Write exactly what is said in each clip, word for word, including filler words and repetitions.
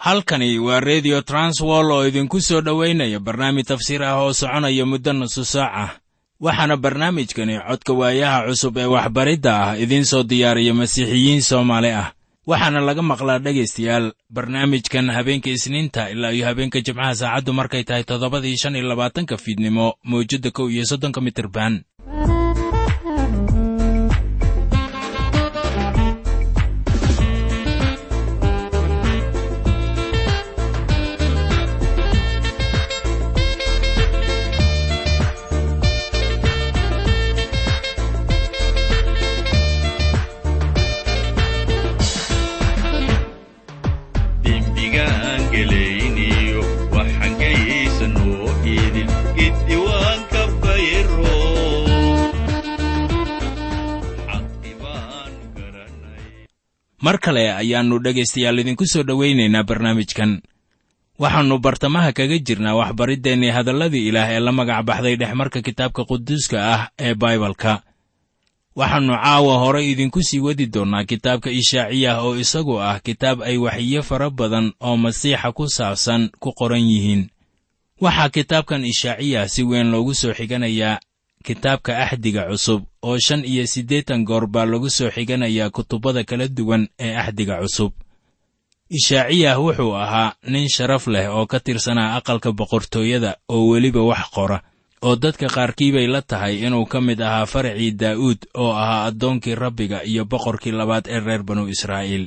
Halkani waa Radio Transworld oo idinku soo dhoweynaya barnaamij tafsiir ah oo soconaya muddo nusu saac ah. Waxaana barnaamijkani codka waayaha cusub ee waxbaridda ah idiin soo diyaariya Masiixiyiin Soomaali ah. Waxaana laga maqlaa dhegaystayaal barnaamijkan habeenka Isniinta ilaa iyo habeenka Jimcaha saacaddu markay tahay toddobadii shan iyo labaatanka fiidnimo mowjadda kow iyo soddonka mitirban. Mar kale ayaannu dhegaystayaal idinku soo dhowaynaynaa barnaamijkan. Waxaannu bartamaha kaga jirnaa waxbariddeenii hadalladii Ilaah ee la magac baxday dhexmarka kitaabka quduuska ah ee Baibalka. Waxaannu caawa hore idinku sii wadi doonnaa kitaabka Ishaaciyah oo isagu ah kitaab ay waxyiyo fara badan oo Masiixa ku saabsan ku qoran yihiin. Waxaa kitaabkan Ishaaciyah si weyn loogu soo xiganayaa kitaabka Axdiga Cusub oo shan iyo siddeetan goor baa lagu soo xiganayaa kutubada kala duwan ee Axdiga Cusub. Ishaaciyah wuxuu ahaa nin sharaf leh oo ka tirsanaa aqalka boqortooyada oo weliba wax qora, oo dadka qaarkii bay la tahay inuu ka mid ahaa faracii Daa'uud oo ahaa addoonkii Rabbiga iyo boqorkii labaad ee reer Banu Israa'iil.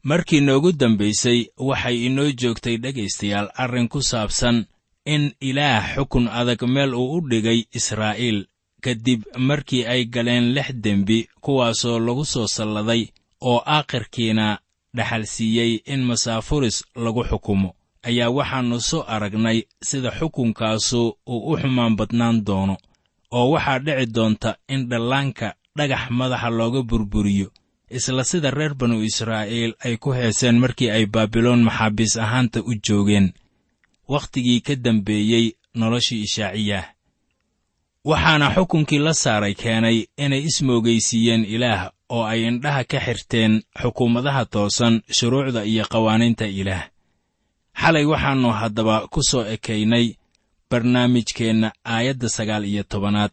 Markii noogu dambaysay waxay inoo joogtay dhegaystayaal arrin ku saabsan in Ilaah xukun adag meel uu u dhigay Israa'iil kadib markii ay galeen lix dembi kuwaasoo lagu soo salladay oo aakhirkiina dhaxalsiiyey in masaafuris lagu xukumo. Ayaa waxaannu soo aragnay sida xukunkaasu uu u xumaan badnaan doono, oo waxaa dhici doonta in dhallaanka dhagax madaxa looga burburiyo, isla sida reer Banu Israa'iil ay ku heeseen markii ay Baabiloon maxaabiis ahaanta u joogeen wakhtigii ka dambeeyey noloshii Ishaaciyah. Waxaana xukunkii la saaray keenay inay ismoogaysiiyeen Ilaah oo ay indhaha ka xirteen xukuumadaha toosan, shuruucda iyo qawaaniinta Ilaah. Xalay waxaannu haddaba ku soo ekaynay barnaamijkeenna aayadda sagaal iyo tobanaad,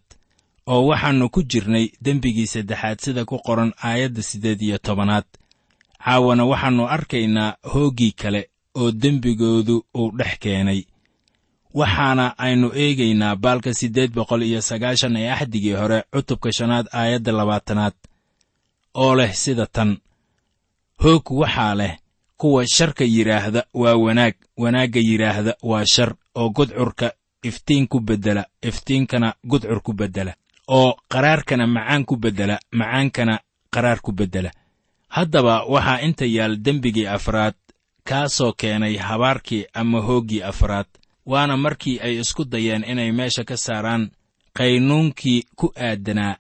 oo waxaannu ku jirnay dembigii saddexaad sida ku qoran aayadda siddeed iyo tobanaad. Caawana waxaannu arkaynaa hooggii kale oo dembigoodu uu dhex keenay. Waxaana aynu eegaynaa baalka siddeed boqol iyo sagaashan ee Axdigii hore cutubka shanaad aayadda labaatanaad oo leh sida tan: hoog waxaa leh kuwa sharka yidhaahda waa wanaag, wanaagga yidhaahda waa shar, oo gudcurka iftiin ku beddela, iftiinkana gudcur ku beddela, oo qaraarkana macaan ku beddela, macaankana qaraar ku beddela. Haddaba waxaa inta yaal dembigii afraad, kaasoo keenay habaarkii ama hooggii afraad. Waana markii ay isku dayeen inay meesha ka saaraan qaynuunkii ku aadanaa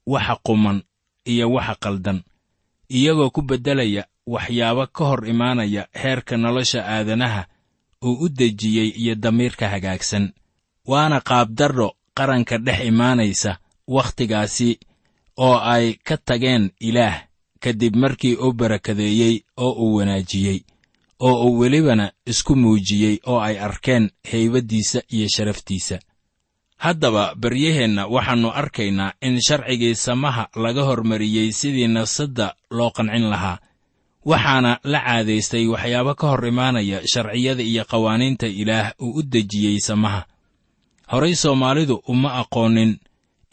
waxa quman iyo waxa qaldan, iyagoo ku beddelaya waxyaabo ka hor imaanaya heerka nolosha aadanaha uu u dejiyey iyo damiirka hagaagsan. Waana qaabdarro qaranka dhex imaanaysa wakhtigaasi oo ay ka tageen Ilaah kadib markii uu barakadeeyey oo uu wanaajiyey oo uu welibana isku muujiyey oo ay arkeen haybaddiisa iyo sharaftiisa. Haddaba baryaheenna waxaannu arkaynaa in sharcigii samaha laga hormariyey sidii nafsadda loo qancin lahaa, waxaana la caadaystay waxyaabo ka hor imaanaya sharciyada iyo qawaaniinta Ilaah uu u dejiyey samaha. Horay Soomaalidu uma aqoonin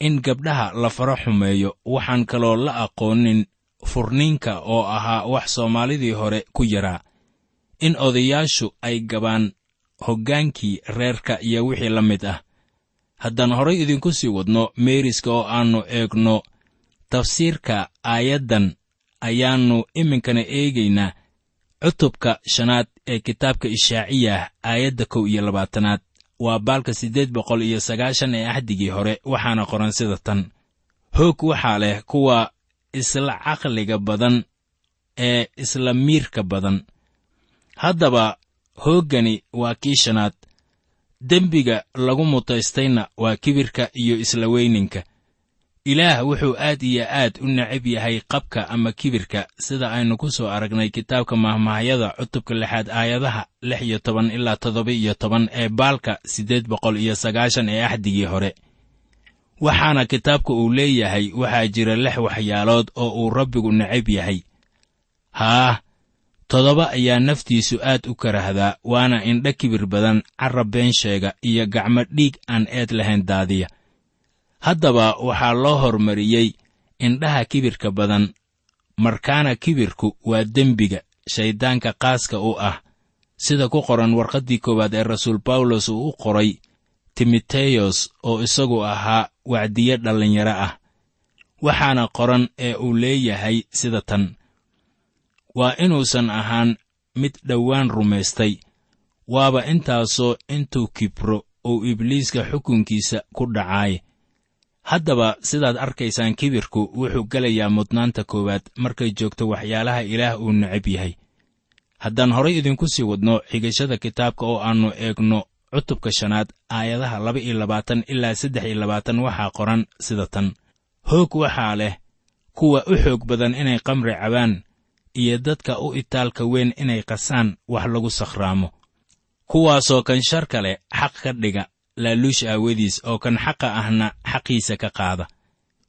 in gabdhaha la faro xumeeyo, waxaan kaloo la aqoonin furniinka oo ahaa wax Soomaalidii hore ku yaraa, in odayaashu ay gabaan hoggaankii reerka iyo wixii la mid ah. Haddaan horay idinku sii wadno meeriska oo aannu eegno tafsiirka aayaddan, ayaannu iminkana eegaynaa cutubka shanaad ee kitaabka Ishaaciyah aayadda kow iyo labaatanaad. Waa baalka siddeed boqol iyo sagaashan ee axdigii hore, waxaana qoran sida tan: hoog waxaa leh kuwa isla caqliga badan ee isla miirka badan. Haddaba hooggani waa kii shanaad. Dembiga lagu mutaystayna waa kibirka iyo isla weyninka. Ilaah wuxuu aad iyo aad u necab yahay qabka ama kibirka, sida aynu ku soo aragnay kitaabka Mahmaahyada cutubka lixaad aayadaha lix iyo toban ilaa toddoba iyo toban ee baalka siddeed boqol iyo sagaashan ee axdigii hore. Waxaana kitaabka uu leeyahay waxaa jira lix waxyaalood oo uu Rabbigu necab yahay. Haah, toddoba ayaa naftiisu aad u karahdaa, waana indho kibir badan, carab been sheega iyo gacmo dhiig aan eed lahayn daadiya. Haddaba waxaa loo hormariyey indhaha kibirka badan, markaana kibirku waa dembiga shayddaanka qaaska u ah, sida ku qoran warqaddii koowaad ee rasuul Bawlos uu u qoray Timoteyos oo isagu ahaa wacdiye dhallinyaro ah. Waxaana qoran ee uu leeyahay sida tan: waa inuusan ahaan mid dhowaan rumaystay, waaba intaasoo intuu kibro uu Ibliiska xukunkiisa ku dhacaay. Haddaba sidaad arkaysaan, kibirku wuxuu gelayaa mudnaanta koowaad markay joogto waxyaalaha Ilaah uu necab yahay. Haddaan horay idinku sii wadno xigashada kitaabka oo aannu eegno cutubka shanaad aayadaha laba iyo labaatan ilaa saddex iyo labaatan, waxaa qoran sida tan: hoog waxaa leh kuwa u xoog badan inay qamri cabaan iyo dadka u itaalka weyn inay qasaan wax lagu sakhraamo, kuwaasoo kan sharka leh xaq ka dhiga laaluush aawadiis, oo kan xaqa ahna xaqiisa ka qaada.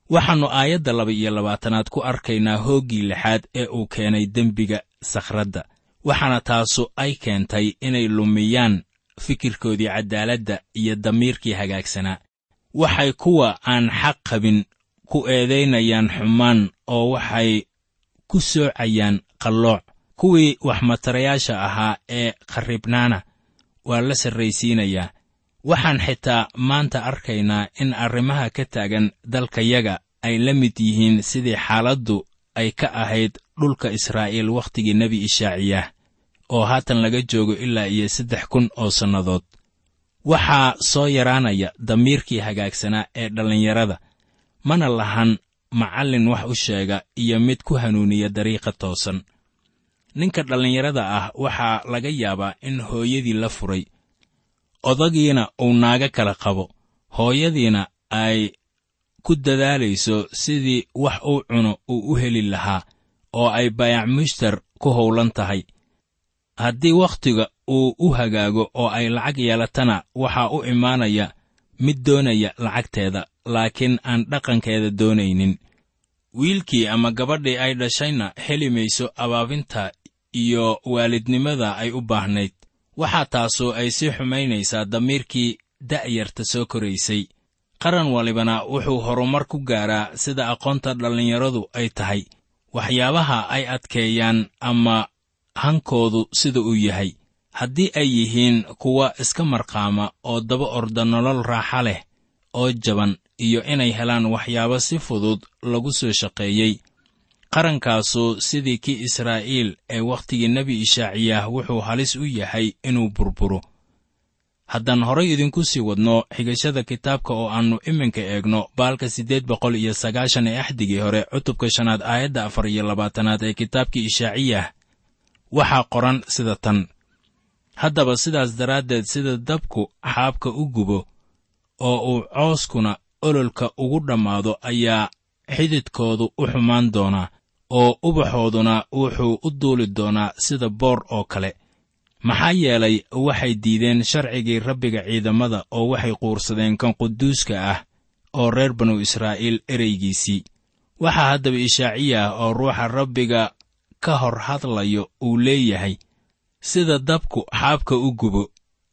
Waxaannu aayadda laba iyo labaatanaad ku arkaynaa hooggii lixaad ee uu keenay dembiga sakhradda, waxaana taasu ay keentay inay lumiyaan fikirkoodii caddaaladda iyo damiirkii hagaagsanaa. Waxay kuwa aan xaq qabin ku eedaynayaan xumaan oo waxay ku soocayaan qallooc. Kuwii waxmatarayaasha ahaa ee kharribnaana waa la sarraysiinayaa. Waxaan xitaa maanta arkaynaa in arrimaha ka taagan dalkayaga ay la mid yihiin sidii xaaladdu ay ka ahayd dhulka Israa'iil wakhtigii nebi Ishaaciyah, oo haatan laga joogo ilaa iyo saddex kun oo sannadood. Waxaa soo yaraanaya damiirkii hagaagsanaa ee dhallinyarada, mana lahan macallin wax u sheega iyo mid ku hanuuniya dariiqa toosan. Ninka dhallinyarada ah waxaa laga yaabaa in hooyadii la furay, odagiina uu naago kala qabo, hooyadiina ay ku dadaalayso sidii wax uu cuno uu u heli lahaa, oo ay baayac mushtar ku howlan tahay. Haddii wakhtiga uu u hagaago oo ay lacag yeelatana, waxaa u imaanaya mid doonaya lacagteeda, laakiin aan dhaqankeeda doonaynin. Wiilkii ama gabadhii ay dhashayna heli mayso abaabinta iyo waalidnimada ay u baahnayd. Waxaa taasu ay sii xumaynaysaa damiirkii da'yarta soo koraysay. Qaran walibana wuxuu horumar ku gaaraa sida aqoonta dhallinyaradu ay tahay, waxyaabaha ay adkeeyaan ama hankoodu sida uu yahay. Haddii ay yihiin kuwa iska marqaama oo daba orda nolol raaxa leh oo jaban iyo inay helaan waxyaabo si fudud lagu soo shaqeeyey, Qarankaasu sidii kii Israa'iil ee wakhtigii nebi Ishaaciyaah wuxuu halis u yahay inuu burburo. Haddaan horay idinku sii wadno xigashada kitaabka oo aannu iminka eegno baalka siddeed boqol iyo sagaashan ee axdigii hore, cutubka shanaad aayadda afar iyo labaatanaad ee kitaabkii Ishaaciyah, waxaa qoran sida tan: Haddaba sidaas daraaddeed, sida dabku xaabka u gubo oo uu cooskuna ololka ugu dhammaado, ayaa xididkoodu u xumaan doonaa, oo ubaxooduna wuxuu u duuli doonaa sida boor oo kale. Maxaa yeelay waxay diideen sharcigii Rabbiga ciidamada, oo waxay quursadeen kan quduuska ah oo reer banu Israa'iil ereygiisii. Waxaa haddaba Ishaaciyah oo ruuxa Rabbiga ka hor hadlayo uu leeyahay sida dabku xaabka u gubo.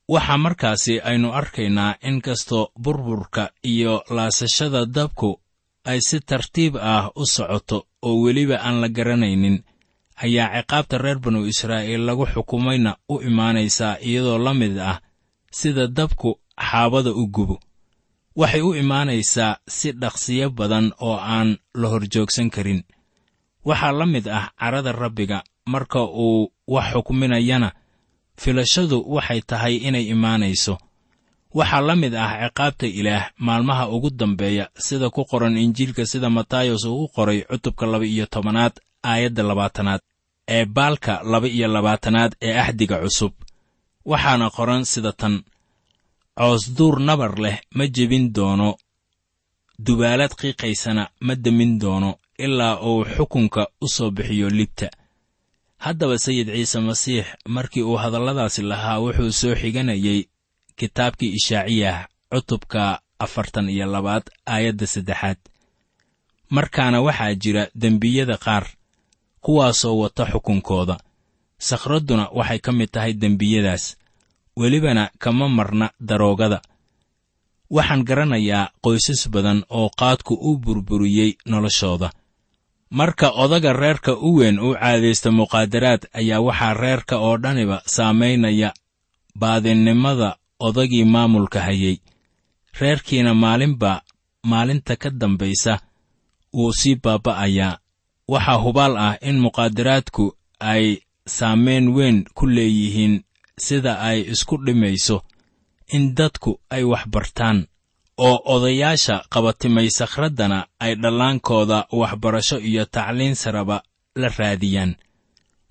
Waxaa markaasi aynu arkaynaa inkastoo burburka iyo laasashada dabku ay si tartiib ah u socoto oo weliba aan la garanaynin, ayaa ciqaabta reer banu Israa'iil lagu xukumayna u imaanaysaa iyadoo la mid ah sida dabku xaabada u gubo. Waxay u imaanaysaa si dhaqsiyo badan oo aan la horjoogsan karin. Waxaa la mid ah carada Rabbiga marka uu wax xukminayana, filashadu waxay tahay inay imaanayso. Waxaa la mid ah ciqaabta Ilaah maalmaha ugu dambeeya, sida ku qoran Injiilka sida Matayos uu u qoray cutubka laba iyo tobanaad aayadda labaatanaad ee baalka laba iyo labaatanaad ee axdiga cusub. Waxaana qoran sida tan: Coosduur nabar leh ma jebin doono, dubaalad qiiqaysana ma demin doono, ilaa uu xukunka u soo bixiyo libta. Haddaba Sayid Ciise Masiix markii uu hadalladaasi lahaa wuxuu soo xiganayay kitaabkii Ishaaciyah cutubka afartan iyo labaad aayadda saddexaad. Markaana waxaa jira dembiyada qaar kuwaasoo wata xukunkooda. Sakhradduna waxay ka mid tahay dembiyadaas, welibana kama marna daroogada. Waxaan garanayaa qoysas badan oo qaadku u burburiyey noloshooda. Marka odaga reerka u weyn u caadaysta muqaadaraad, ayaa waxaa reerka oo dhaniba saamaynaya baadinnimada odagii maamulka hayay. Reerkiina maalinba maalinta ka dambaysa wuu sii baaba'ayaa. Waxaa hubaal ah in muqaadaraadku ay saameyn weyn ku leeyihiin sida ay isku dhimayso in dadku ay wax bartaan, oo odayaasha qabatimay sakhraddana ay dhallaankooda waxbarasho iyo tacliin saraba la raadiyaan.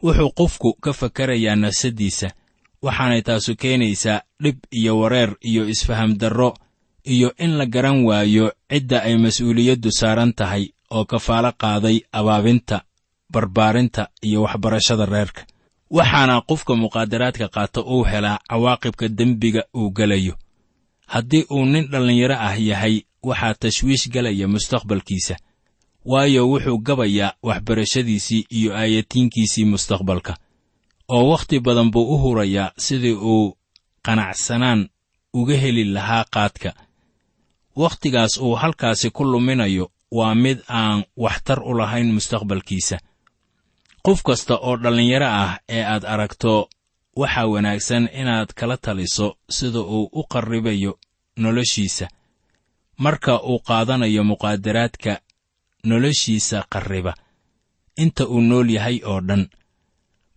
Wuxuu qofku ka fakerayaa nafsaddiisa, waxaanay taasu keenaysaa dhib iyo wareer iyo isfaham darro, iyo in la garan waayo cidda ay mas'uuliyaddu saaran tahay oo kafaalo qaaday abaabinta, barbaarinta iyo waxbarashada reerka. Waxaana qofka muqaadaraadka qaata uu helaa cawaaqibka dembiga uu gelayo. Haddii uu nin dhallinyaro ah yahay, waxaa tashwiish galaya mustaqbalkiisa, waayo wuxuu gabayaa waxbarashadiisii iyo aayatiinkiisii mustaqbalka, oo wakhti badan buu u hurayaa sidii uu qanacsanaan uga heli lahaa qaadka. Wakhtigaas uu halkaasi ku luminayo waa mid aan waxtar u lahayn mustaqbalkiisa. Qof kasta oo dhallinyaro ah ee aad aragto, waxaa wanaagsan inaad kala taliso sida uu u qarribayo noloshiisa marka uu qaadanayo muqaadaraadka noloshiisa qarriba inta uu nool yahay oo dhan.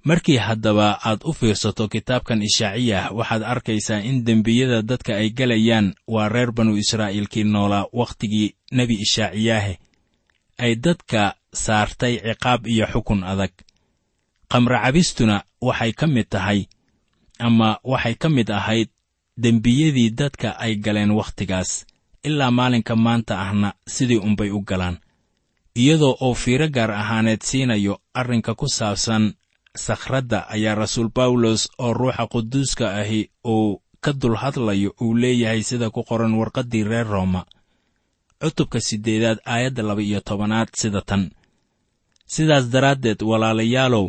Markii haddaba aad u fiirsato kitaabkan Ishaaciyah, waxaad arkaysaa in dembiyada dadka ay galayaan waa reer banu Israa'iilkii noolaa wakhtigii nebi Ishaaciyaahe ay dadka saartay ciqaab iyo xukun adag. Qamra cabistuna waxay ka mid tahay ama waxay ka mid ahayd dembiyadii dadka ay galeen wakhtigaas, ilaa maalinka maanta ahna sidii unbay u galaan, iyadoo uu fiiro gaar ahaaneed siinayo arrinka ku saabsan sakhradda. Ayaa rasuul Bawlos oo ruuxa quduuska ahi uu ka dul hadlayo uu leeyahay sida ku qoran warqaddii reer Rooma cutubka siddeedaad aayadda laba iyo tobanaad sida tan: Sidaas daraaddeed walaalayaalow,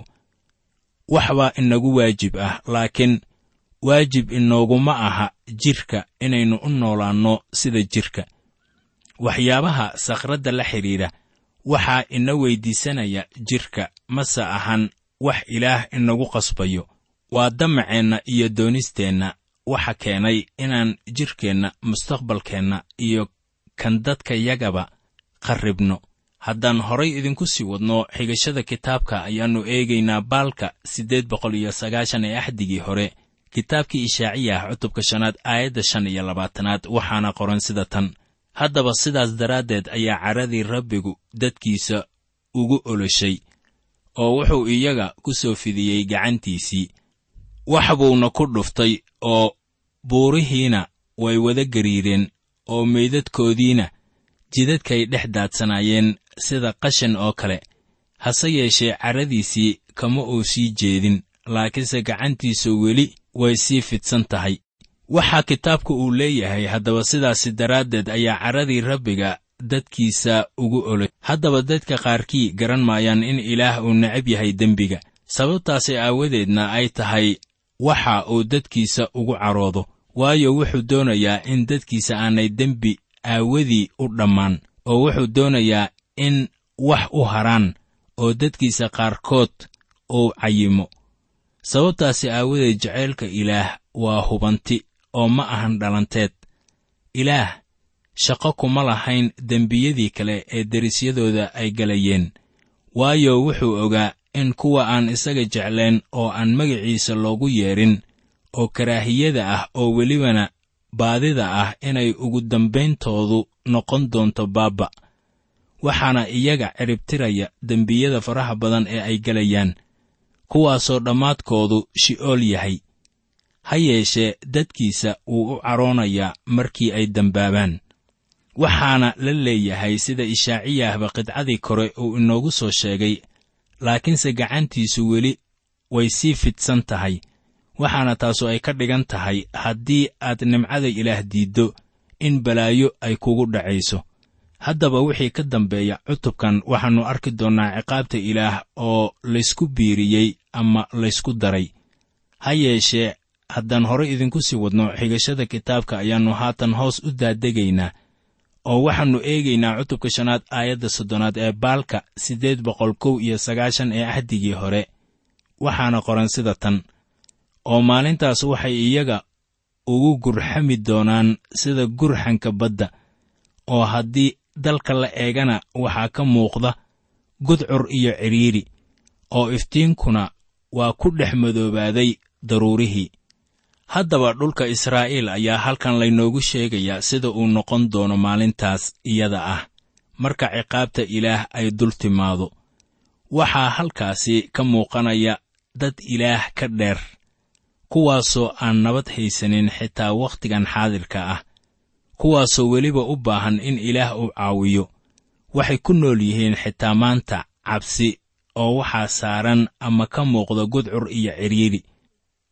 waxbaa inagu waajib ah, laakiin waajib inooguma aha jidhka inaynu u noolaanno sida jidhka. Waxyaabaha sakhradda la xidhiidha waxaa ina weydiisanaya jidhka, mase ahan wax Ilaah inagu qasbayo. Waa damaceenna iyo doonisteenna waxa keenay inaan jidhkeenna, mustaqbalkeenna iyo kan dadka yagaba qarribno. Haddaan horay idinku sii wadno xigashada kitaabka, ayaannu eegaynaa baalka siddeed boqol iyo sagaashan ee axdigii hore, kitaabkii Ishaaciyah cutubka shanaad aayadda shan iyo labaatanaad, waxaana qoran sida tan: Haddaba sidaas daraaddeed ayaa caradii Rabbigu dadkiisa ugu oloshay, oo wuxuu iyaga ku soo fidiyey gacantiisii, wax buuna ku dhuftay, oo buurihiina way wada gariireen, oo meydadkoodiina jidadkay dhex daadsanaayeen sida qashin oo kale. Hase yeeshee caradiisii kama uu sii jeedin, laakiinse gacantiisu weli way sii fidsan tahay. Waxaa kitaabku uu leeyahay, haddaba sidaasi daraaddeed ayaa caradii Rabbiga dadkiisa ugu olay. Haddaba dadka qaarkii garan maayaan in Ilaah uu necab yahay dembiga, sababtaasi aawadeedna ay tahay waxa uu dadkiisa ugu caroodo, waayo wuxuu doonayaa in dadkiisa aanay dembi aawadii u dhammaan, oo wuxuu doonayaa in wax u haraan oo dadkiisa qaarkood uu cayimo. Sababtaasi aawadeed jacaylka Ilaah waa hubanti oo ma ahan dhalanteed. Ilaah shaqo kuma lahayn dembiyadii kale ee derisyadooda ay galayeen, waayo wuxuu ogaa in kuwa aan isaga jeclayn oo aan magaciisa loogu yeedhin oo karaahiyada ah oo welibana baadida ah inay ugu dambayntoodu noqon doonto baabba. Waxaana iyaga ciribtiraya dembiyada faraha badan ee ay galayaan, kuwaasoo dhammaadkoodu shi'ool yahay. Ha yeeshee dadkiisa wuu u caroonayaa markii ay dembaabaan. Waxaana la leeyahay sida Ishaaciyahba qidcadii kore uu inoogu soo sheegay, laakiinse gacantiisu weli way sii fidsan tahay. Waxaana taasu ay ka dhigan tahay haddii aad nimcada Ilaah diiddo in balaayo ay kugu dhacayso. Haddaba wixii ka dambeeya cutubkan waxaannu arki doonnaa ciqaabta Ilaah oo laysku biiriyey ama laysku daray. Ha yeeshee haddaan horay idinku sii wadno xigashada kitaabka, ayaannu haatan hoos u daadegaynaa, oo waxaannu eegaynaa cutubka shanaad aayadda soddonaad ee baalka siddeed boqol kow iyo sagaashan ee axdigii hore, waxaana qoran sida tan: Oo maalintaas waxay iyaga ugu gurxami doonaan sida gurxanka badda, oo haddii dalka la eegana waxaa ka muuqda gudcur iyo cidhiidhi, oo iftiinkuna waa ku dhex madoobaaday daruurihii. Haddaba dhulka Israa'iil ayaa halkan laynoogu sheegayaa sida uu noqon doono maalintaas iyada ah marka ciqaabta Ilaah ay dul timaado. Waxaa halkaasi ka muuqanaya dad Ilaah ka dheer, kuwaasoo aan nabad haysanin xitaa wakhtigan xaadirka ah, kuwaasoo weliba u baahan in Ilaah uu caawiyo. Waxay ku nool yihiin xitaa maanta cabsi, oo waxaa saaran ama ka muuqda gudcur iyo cidhiidhi.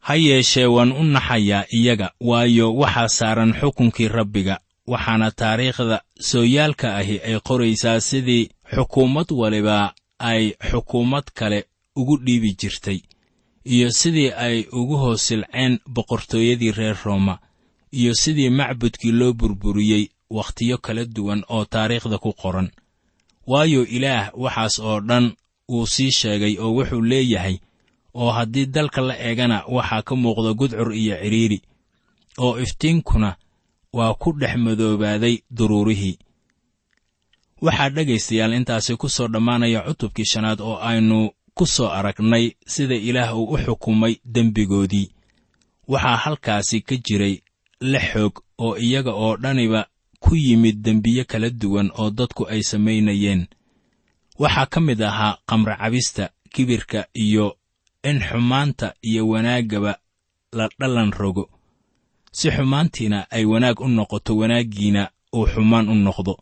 Ha yeeshee waan u naxayaa iyaga, waayo waxaa saaran xukunkii Rabbiga. Waxaana taariikhda sooyaalka ahi ay qoraysaa sidii xukuumad waliba ay xukuumad kale ugu dhiibi jirtay, iyo sidii ay ugu hoos silceen boqortooyadii reer Rooma, iyo sidii macbudkii loo burburiyey wakhtiyo kala duwan oo taariikhda ku qoran. Waayo Ilaah waxaas oo dhan wuu sii sheegay, oo wuxuu leeyahay, oo haddii dalka la eegana waxaa ka muuqda gudcur iyo cidhiidhi, oo iftiinkuna waa ku dhex madoobaaday duruurihii. Waxaa dhegaystayaal intaasi ku soo dhammaanaya cutubkii shanaad oo aynu ku soo aragnay sida Ilaah uu u xukumay dembigoodii. Waxaa halkaasi ka jiray lix xoog oo iyaga oo dhaniba ku yimid dembiye kala duwan oo dadku ay samaynayeen. Waxaa ka mid ahaa khamro cabista, kibirka, iyo in xumaanta iyo wanaaggaba la dhalan rogo, si xumaantiina ay wanaag u noqoto, wanaaggiina uu xumaan u noqdo.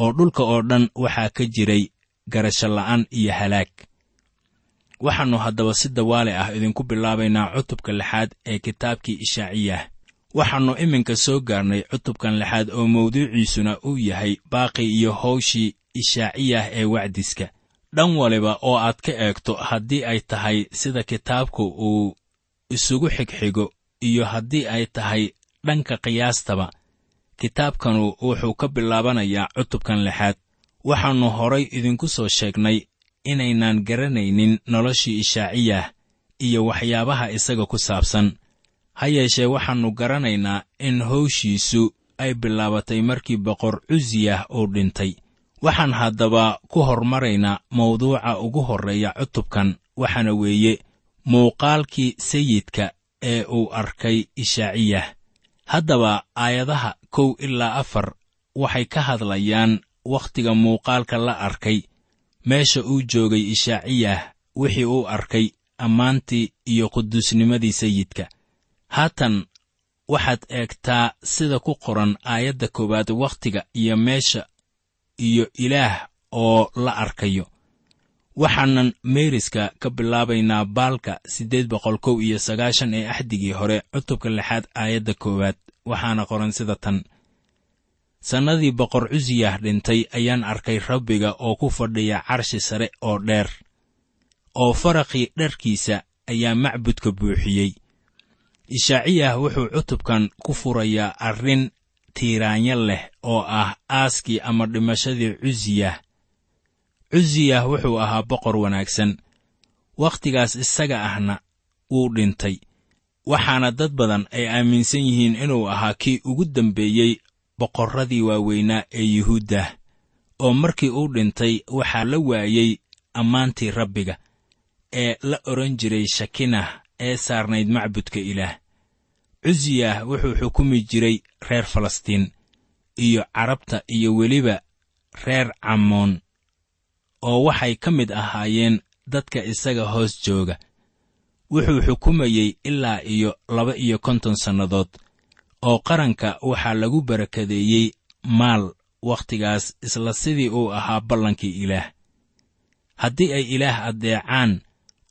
Oo dhulka oo dhan waxaa ka jiray garasho la'aan iyo halaag. Waxaannu haddaba si dawaale ah idinku bilaabaynaa cutubka lixaad ee kitaabkii Ishaaciyah. Waxaannu iminka soo gaarnay cutubkan lixaad oo mawduuciisuna uu yahay baaqi iyo howshii Ishaaciyah ee wacdiska. Dhan waliba oo aad ka eegto, haddii ay tahay sida kitaabku uu isugu xigxigo iyo haddii ay tahay dhanka qiyaastaba, kitaabkanu wuxuu ka bilaabanayaa cutubkan lixaad. Waxaannu horay idinku soo sheegnay inaynaan garanaynin noloshii Ishaaciyah iyo waxyaabaha isaga ku saabsan. Ha yeeshee waxaannu garanaynaa in howshiisu ay bilaabatay markii boqor Cusiyah uu dhintay. Waxaan haddaba ku hormaraynaa mawduuca ugu horreeya cutubkan, waxaana weeye muuqaalkii sayidka ee uu arkay Ishaaciyah. Haddaba aayadaha kow ilaa afar waxay ka hadlayaan wakhtiga muuqaalka la arkay, meesha uu joogay Ishaaciyah, wixii uu arkay, ammaantii iyo quduusnimadii sayidka. Haatan waxaad eegtaa sida ku qoran aayadda koowaad wakhtiga iyo meesha iyo Ilaah oo la arkayo. Waxaanan meeriska ka bilaabaynaa baalka siddeed boqol kow iyo sagaashan ee axdigii hore, cutubka lixaad aayadda koowaad, waxaana qoran sida tan: Sannadii boqor Cusiyah dhintay ayaan arkay Rabbiga oo ku fadhiya carshi sare oo dheer, oo faraqii dharkiisa ayaa macbudka buuxiyey. Ishaaciyah wuxuu cutubkan ku furayaa arrin tiiraanya leh oo ah aaskii ama dhimashadii Cusiyah. Cusiyah wuxuu ahaa boqor wanaagsan, wakhtigaas isaga ahna wuu dhintay, waxaana dad badan ay aaminsan yihiin inuu ahaa kii ugu dambeeyey boqorradii waaweynaa ee Yuhuuddah, oo markii uu dhintay waxaa la waayey ammaantii Rabbiga ee la odhan jiray Shakinah ee saarnayd macbudka Ilaah. Cusiyah wuxuu xukumi jiray reer Falastiin iyo Carabta iyo weliba reer Camoon, oo waxay ka mid ahaayeen dadka isaga hoos jooga. Wuxuu xukumayey ilaa iyo laba iyo konton sannadood, oo qaranka waxaa lagu barakadeeyey maal wakhtigaas, isla sidii uu ahaa ballankii Ilaah. Haddii ay Ilaah addeecaan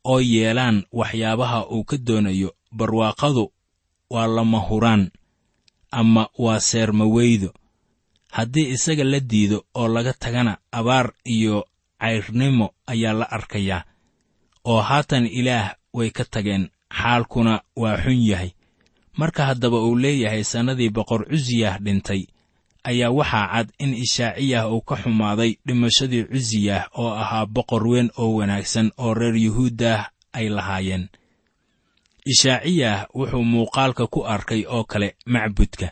oo yeelaan waxyaabaha uu ka doonayo, barwaaqadu waa lama huraan ama waa seermaweydo. Haddii isaga la diido oo laga tagana, abaar iyo cayrnimo ayaa la arkayaa. Oo haatan Ilaah way ka tageen, xaalkuna waa xun yahay. Marka haddaba uu leeyahay sannadii boqor Cusiyah dhintay, ayaa waxaa cad in Ishaaciyah uu ka xumaaday dhimashadii Cusiyah oo ahaa boqor weyn oo wanaagsan oo reer Yuhuuddah ay lahaayeen. Ishaaciyah wuxuu muuqaalka ku arkay oo kale macbudka,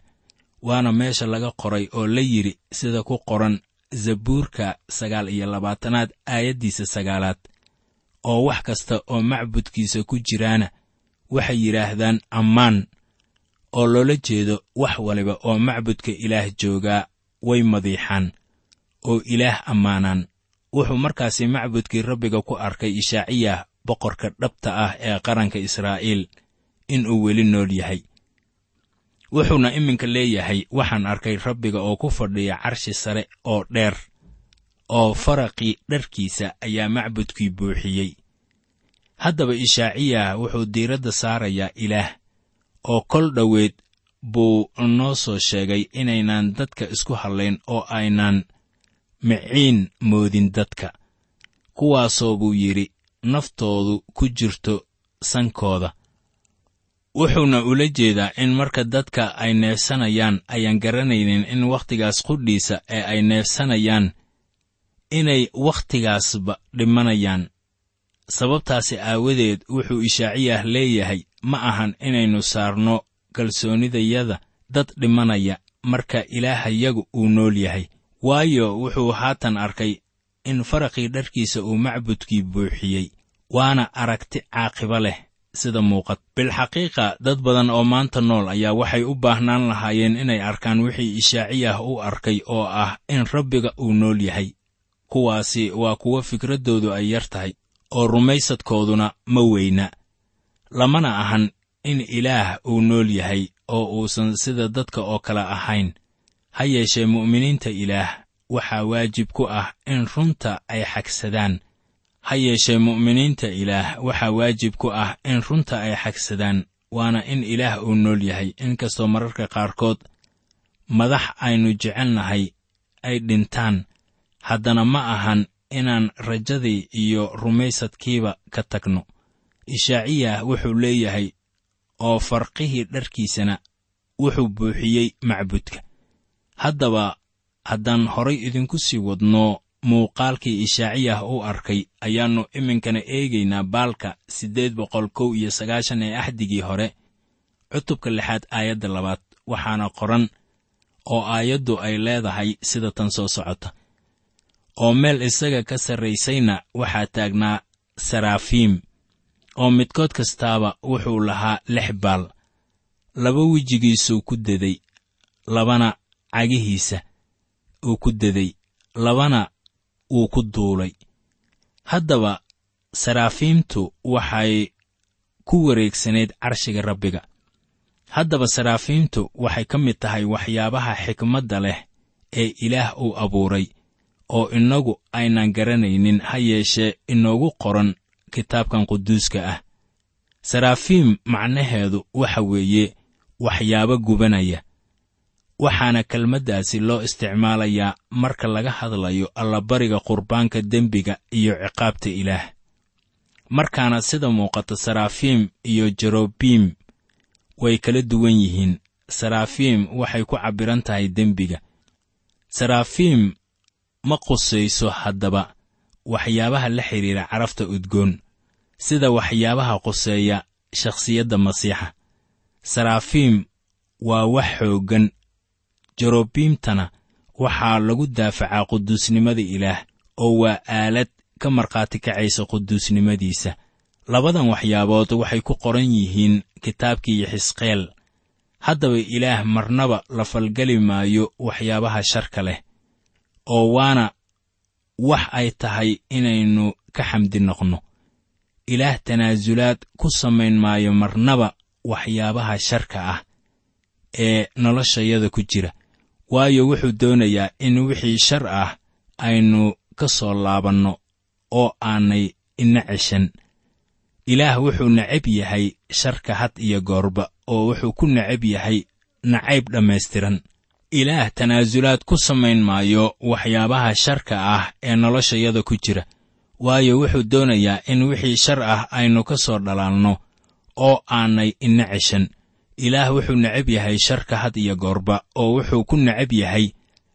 waana meesha laga qoray oo la yidhi sida ku qoran Zabuurka sagaal iyo labaatanaad aayaddiisa sagaalaad, oo wax kasta oo macbudkiisa ku jiraana waxay yidhaahdaan ammaan, oo loola jeedo wax waliba oo macbudka Ilaah joogaa way madiixaan oo Ilaah ammaanaan. Wuxuu markaasi macbudkii Rabbiga ku arkay Ishaaciyah boqorka dhabta ah ee qaranka Israa'iil inuu weli nool yahay. Wuxuuna iminka leeyahay, waxaan arkay Rabbiga oo ku fadhiya carshi sare oo dheer, oo faraqii dharkiisa ayaa macbudkii buuxiyey. Haddaba Ishaaciyah wuxuu diiradda saarayaa Ilaah, oo kol dhoweed buu noo soo sheegay inaynaan dadka isku hadlayn oo aynaan miciin moodin dadka, kuwaasoo buu yidhi naftoodu ku jirto sankooda. Wuxuuna ula jeedaa in marka dadka ay neefsanayaan ayaan garanaynin in wakhtigaas qudhiisa ee ay neefsanayaan inay wakhtigaasba dhimanayaan. Sababtaasi aawadeed wuxuu Ishaaciyah leeyahay, ma ahan inaynu saarno kalsoonidayada dad dhimanaya marka Ilaahayagu uu nool yahay, waayo wuxuu haatan arkay in faraqii dharkiisa uu macbudkii buuxiyey, waana aragti caaqiba leh sida muuqat. Bilxaqiiqa dad badan oo maanta nool ayaa waxay u baahnaan lahaayeen inay arkaan wixii Ishaaciyah u arkay oo ah in Rabbiga uu nool yahay. Kuwaasi waa kuwo fikraddoodu ay yar tahay oo rumaysadkooduna ma weyna. Lamana ahan in Ilaah uu nool yahay oo uusan sida dadka oo kale ahayn. Ha yeeshee mu'miniinta Ilaah waxaa waajib ku ah in runta ay xagsadaan. Ha yeeshee mu'miniinta Ilaah waxaa waajib ku ah in runta ay xagsadaan, waana in Ilaah uu nool yahay, inkastoo mararka qaarkood madax aynu jecelnahay ay dhintaan, haddana ma ahan inaan rajadii iyo rumaysadkiiba ka tagno. Ishaaciyah wuxuu leeyahay, oo farqihii dharkiisana wuxuu buuxiyey macbudka. Haddaba haddaan horay idinku sii wadno muuqaalkii Ishaaciyah u arkay, ayaannu iminkana eegaynaa baalka siddeed boqol kow iyo sagaashan ee axdigii hore, cutubka lixaad aayadda labaad, waxaana qoran oo aayaddu ay leedahay sida tan soo socota: Oo meel isaga ka sarraysayna waxaa taagnaa saraafiim, oo midkood kastaaba wuxuu lahaa lix baal. Laba wejigiisuu ku deday, labana cagihiisa uu ku deday, labana wuu ku duulay. Haddaba saraafiimtu waxay ku wareegsanayd carshiga Rabbiga. Haddaba saraafiimtu waxay ka mid tahay waxyaabaha xikmadda leh ee Ilaah uu abuuray, oo innagu aynan garanaynin, ha yeeshee inoogu qoran kitaabkan quduuska ah. Saraafiim macnaheedu waxa weeye waxyaabo gubanaya, waxaana kelmaddaasi loo isticmaalayaa marka laga hadlayo allabariga qurbaanka dembiga iyo ciqaabta Ilaah. Markaana sida muuqata saraafiim iyo jerobiim way kala duwan yihiin. Saraafiim waxay ku cabbiran tahay dembiga. Saraafiim ma qusayso haddaba waxyaabaha la xidhiira carafta udgoon, sida waxyaabaha quseeya shakhsiyadda Masiixa. Saraafiim waa wax xooggan, jerobiimtana waxaa lagu daafacaa quduusnimada Ilaah, oo waa aalad ka markhaati kacaysa quduusnimadiisa. Labadan waxyaabood waxay ku qoran yihiin kitaabkii Yaxisqeel. Haddaba Ilaah marnaba la falgeli maayo waxyaabaha sharka leh, oo waana wax ay tahay inaynu ka xamdi noqno. Ilaah tanaasulaad ku samayn maayo marnaba waxyaabaha sharka ah ee noloshayada ku jira, waayo wuxuu doonayaa in wixii shar ah aynu ka soo laabanno oo aanay ina ceshan. Ilaah wuxuu necab yahay sharka had iyo goorba, oo wuxuu ku necab yahay nacayb dhammaystiran. Ilaah tanaasulaad ku samayn maayo waxyaabaha sharka ah ee noloshayada ku jira, waayo wuxuu doonayaa in wixii shar ah aynu ka soo dhalaalno oo aanay ina ceshan. Ilaah wuxuu necab yahay sharka had iyo goorba, oo wuxuu ku necab yahay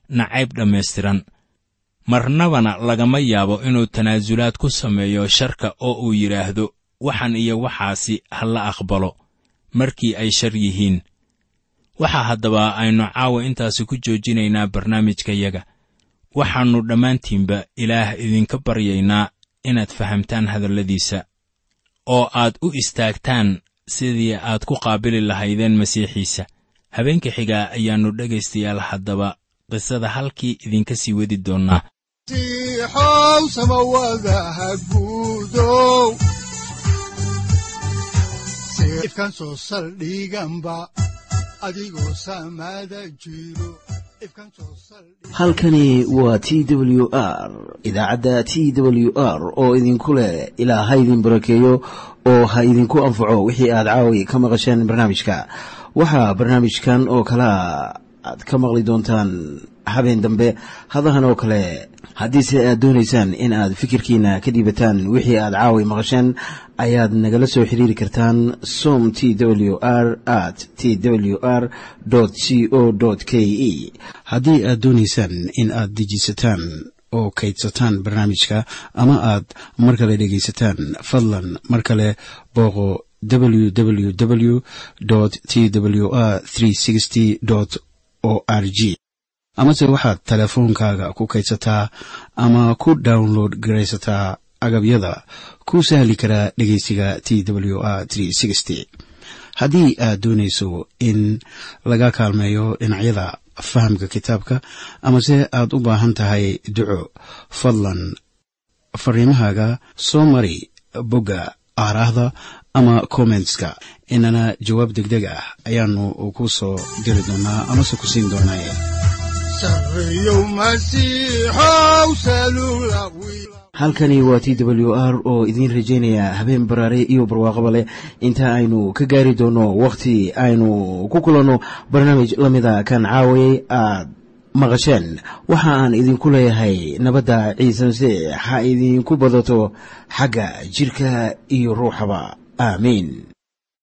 nacayb dhammaystiran. Marnabana lagama yaabo inuu tanaasulaad ku sameeyo sharka oo uu yidhaahdo waxan iyo waxaasi ha la aqbalo markii ay shar yihiin. Waxaa haddaba aynu caawa intaasi ku joojinaynaa barnaamijkayaga. Waxaannu dhammaantiinba Ilaah idinka baryaynaa inaad fahamtaan hadalladiisa, oo aad u istaagtaan sidii aad ku qaabili lahaydeen Masiixiisa. Habeenka xigaa ayaannu dhegaystayaal haddaba qisada halkii idinka sii wadi doonnaa. Masiixow samawadaha guudow, ifkan soo saldhiganba adigoo samada jiro. Halkani waa T W R, idaacadda T W R, oo idinku leh ilaa ha idin barakeeyo oo ha idinku anfaco wixii aad caawi ka maqasheen barnaamijka. Waxaa barnaamijkan oo kalea aad ka maqli doontaan habeen dambe hadahan oo kale. Haddiise aad doonaysaan in aad fikirkiina ka dhiibataan wixii aad caawi maqasheen, ayaad nagala soo xiriiri kartaan som t w r at t w r c o k e. Haddii aad doonaysaan in aad dejiisataan oo kaydsataan barnaamijka ama aad mar kale dhegaysataan, fadlan mar kale booqo w w w t w r o r g, amase waxaad teleefoonkaaga ku kaydsataa ama ku download garaysataa agabyada ku sahli karaa dhegeysiga T W R. Haddii aad doonayso in laga kaalmeeyo dhinacyada fahamka kitaabka amase aad u baahan tahay duco, fadlan fariimahaaga soo mari bogga aaraahda ama commentska, inana jawaab degdeg ah ayaanu ku soo diri doonaa amase ku siin doonaaye. Sarreyow Masiixow salula. Halkani waa T W R oo idiin rajaynaya habeen baraare iyo barwaaqaba leh inta aynu ka gaari doono wakhti aynu ku kulanno barnaamij la mida kan caawayay aad maqasheen. Waxa aan idinku leeyahay nabadda Ciise Masiix ha idinku badato xagga jidhka iyo ruuxaba. Aamiin.